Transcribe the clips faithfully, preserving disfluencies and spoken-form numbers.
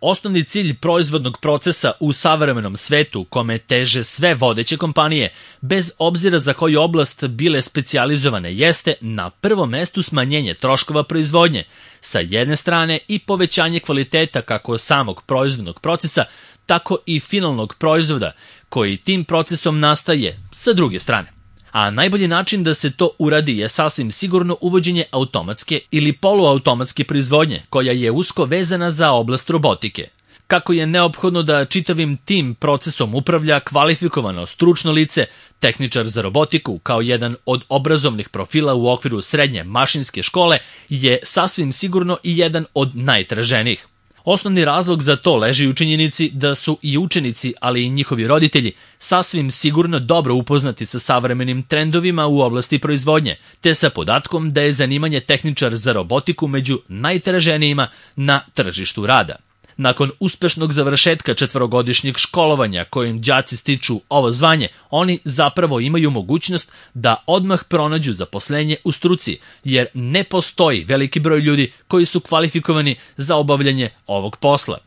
Osnovni cilj proizvodnog procesa u savremenom svetu, kome teže sve vodeće kompanije, bez obzira za koju oblast bile specijalizovane, jeste na prvom mestu smanjenje troškova proizvodnje, sa jedne strane i povećanje kvaliteta kako samog proizvodnog procesa, tako i finalnog proizvoda, koji tim procesom nastaje sa druge strane. A najbolji način da se to uradi je sasvim sigurno uvođenje automatske ili poluautomatske proizvodnje, koja je usko vezana za oblast robotike. Kako je neophodno da čitavim tim procesom upravlja kvalifikovano stručno lice, tehničar za robotiku kao jedan od obrazovnih profila u okviru srednje mašinske škole je sasvim sigurno i jedan od najtraženijih. Osnovni razlog za to leži u činjenici da su i učenici, ali i njihovi roditelji, sasvim sigurno dobro upoznati sa savremenim trendovima u oblasti proizvodnje, te sa podatkom da je zanimanje tehničar za robotiku među najtraženijima na tržištu rada. Nakon uspešnog završetka četvorogodišnjeg školovanja kojim đaci stiču ovo zvanje, oni zapravo imaju mogućnost da odmah pronađu zaposlenje u struci, jer ne postoji veliki broj ljudi koji su kvalifikovani za obavljanje ovog posla.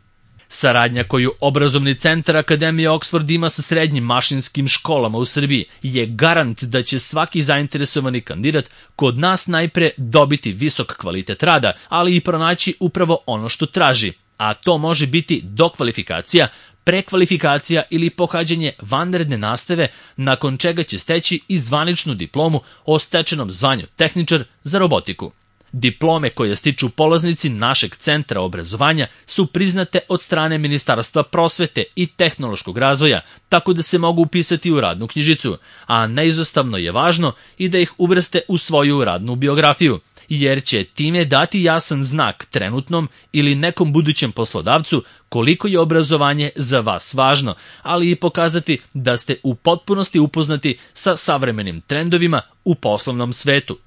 Saradnja koju obrazovni centar Akademije Oxford ima sa srednjim mašinskim školama u Srbiji je garant da će svaki zainteresovani kandidat kod nas najpre dobiti visok kvalitet rada, ali i pronaći upravo ono što traži, a to može biti dokvalifikacija, prekvalifikacija ili pohađanje vanredne nastave, nakon čega će steći i zvaničnu diplomu o stečenom zvanju tehničar za robotiku. Diplome koje stiču polaznici našeg centra obrazovanja su priznate od strane Ministarstva prosvete i tehnološkog razvoja, tako da se mogu upisati u radnu knjižicu, a neizostavno je važno i da ih uvrste u svoju radnu biografiju, jer će time dati jasan znak trenutnom ili nekom budućem poslodavcu koliko je obrazovanje za vas važno, ali i pokazati da ste u potpunosti upoznati sa savremenim trendovima u poslovnom svetu.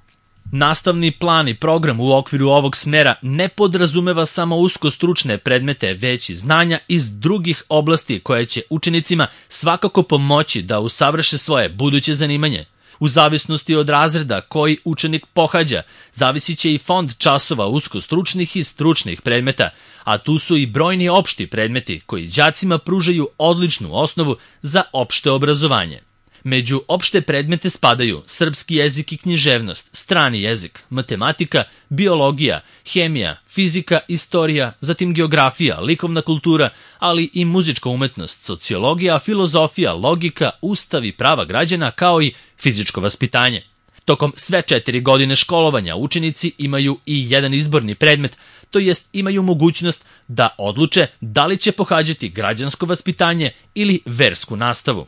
Nastavni plan i program u okviru ovog smera ne podrazumeva samo usko stručne predmete, već i znanja iz drugih oblasti koje će učenicima svakako pomoći da usavrše svoje buduće zanimanje. U zavisnosti od razreda koji učenik pohađa, zavisit će i fond časova uskostručnih i stručnih predmeta, a tu su i brojni opšti predmeti koji đacima pružaju odličnu osnovu za opšte obrazovanje. Među opšte predmete spadaju srpski jezik i književnost, strani jezik, matematika, biologija, hemija, fizika, istorija, zatim geografija, likovna kultura, ali i muzička umetnost, sociologija, filozofija, logika, ustav i prava građana, kao i fizičko vaspitanje. Tokom sve četiri godine školovanja učenici imaju i jedan izborni predmet, to jest imaju mogućnost da odluče da li će pohađati građansko vaspitanje ili versku nastavu.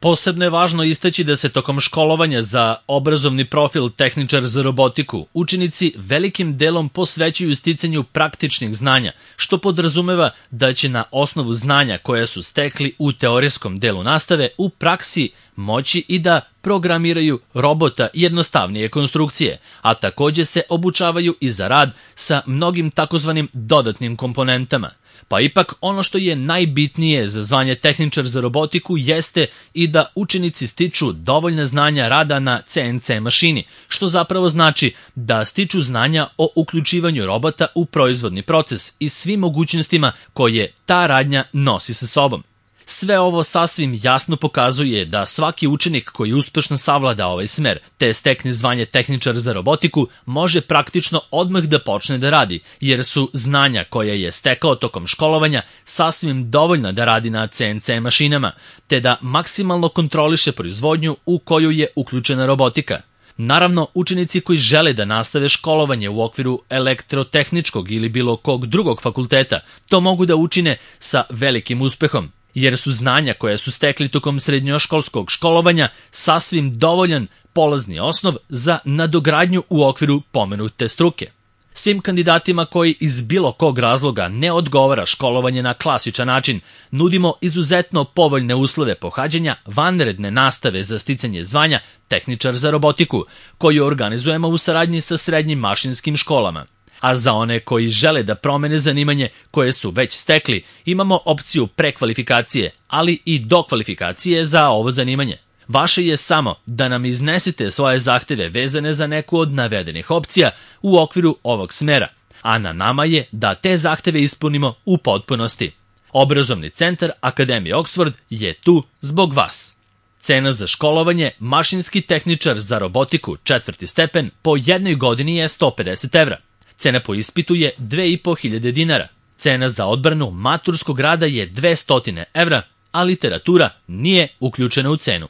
Posebno je važno istaći da se tokom školovanja za obrazovni profil tehničar za robotiku učenici velikim delom posvećuju sticanju praktičnih znanja, što podrazumeva da će na osnovu znanja koja su stekli u teorijskom delu nastave u praksi moći i da programiraju robota jednostavnije konstrukcije, a takođe se obučavaju i za rad sa mnogim takozvanim dodatnim komponentama. Pa ipak ono što je najbitnije za zvanje tehničar za robotiku jeste i da učenici stiču dovoljna znanja rada na ce en ce mašini, što zapravo znači da stiču znanja o uključivanju robota u proizvodni proces i svim mogućnostima koje ta radnja nosi sa sobom. Sve ovo sasvim jasno pokazuje da svaki učenik koji uspešno savlada ovaj smer, te stekne zvanje tehničar za robotiku, može praktično odmah da počne da radi, jer su znanja koja je stekao tokom školovanja sasvim dovoljna da radi na ce en ce mašinama, te da maksimalno kontroliše proizvodnju u koju je uključena robotika. Naravno, učenici koji žele da nastave školovanje u okviru elektrotehničkog ili bilo kog drugog fakulteta, to mogu da učine sa velikim uspehom, jer su znanja koja su stekli tokom srednjoškolskog školovanja sasvim dovoljan polazni osnov za nadogradnju u okviru pomenute struke. Svim kandidatima koji iz bilo kog razloga ne odgovara školovanje na klasičan način, nudimo izuzetno povoljne uslove pohađanja vanredne nastave za sticanje zvanja tehničar za robotiku, koju organizujemo u saradnji sa srednjim mašinskim školama. A za one koji žele da promene zanimanje koje su već stekli, imamo opciju prekvalifikacije, ali i dokvalifikacije za ovo zanimanje. Vaše je samo da nam iznesete svoje zahteve vezane za neku od navedenih opcija u okviru ovog smera, a na nama je da te zahteve ispunimo u potpunosti. Obrazovni centar Akademije Oxford je tu zbog vas. Cena za školovanje mašinski tehničar za robotiku četvrti stepen po jednoj godini je sto pedeset evra. Cena po ispitu je dve i po hiljade dinara. Cena za odbranu maturskog rada je dvesta evra, a literatura nije uključena u cenu.